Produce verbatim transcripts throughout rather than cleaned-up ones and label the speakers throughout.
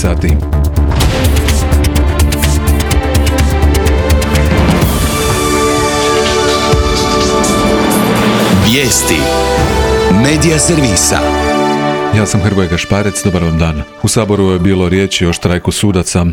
Speaker 1: sati.
Speaker 2: Vijesti Medija servisa.
Speaker 1: Ja sam Hrvoje Gašparec, dobar vam dan. U Saboru je bilo riječi o štrajku sudaca.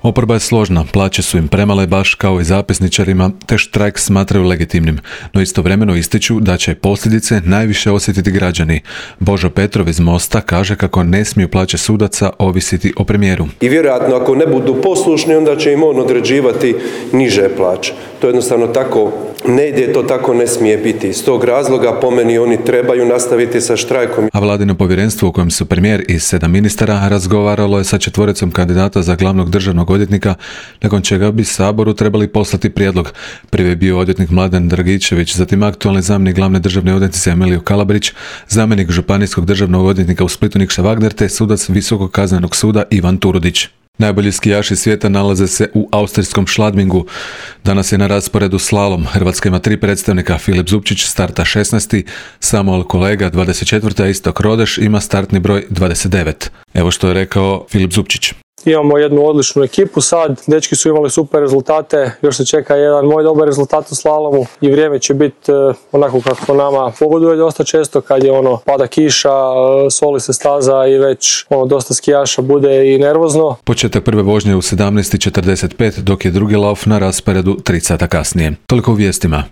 Speaker 1: Oporba je složna, plaće su im premale baš kao i zapisničarima, te štrajk smatraju legitimnim, no istovremeno ističu da će posljedice najviše osjetiti građani. Božo Petrov iz Mosta kaže kako ne smiju plaće sudaca ovisiti o premijeru.
Speaker 3: I vjerojatno ako ne budu poslušni, onda će im on određivati niže plaće. To jednostavno tako ne ide, to tako ne smije biti. Iz tog razloga po meni oni trebaju nastaviti sa štrajkom.
Speaker 1: A vladino povjerenstvo u kojem su premijer i sedam ministara razgovaralo je sa četvoricom kandidata za glavnog državnog odvjetnika, nakon čega bi Saboru trebali poslati prijedlog. Prvi je bio odvjetnik Mladen Dragičević, zatim aktualni zamjenik glavne državne odvjetnice Emilio Kalabrić, zamjenik županijskog državnog odvjetnika u Splitu Nikša Wagner te sudac Visokog kaznenog suda Ivan Turudić. Najbolji skijaši svijeta nalaze se u austrijskom Schladmingu. Danas je na rasporedu slalom. Hrvatska ima tri predstavnika. Filip Zupčić starta šesnaesti, Samuel Kolega dvadeset četvrti, a Istok Rodeš ima startni broj dvadeset devet. Evo što je rekao Filip Zupčić.
Speaker 4: Imamo jednu odličnu ekipu sad, dečki su imali super rezultate, još se čeka jedan moj dobar rezultat u slalomu i vrijeme će biti onako kako nama pogoduje dosta često kad je ono pada kiša, soli se staza i već ono dosta skijaša bude i nervozno.
Speaker 1: Početak prve vožnje u sedamnaest i četrdeset pet, dok je drugi lauf na rasporedu tri sata kasnije. Toliko u vijestima.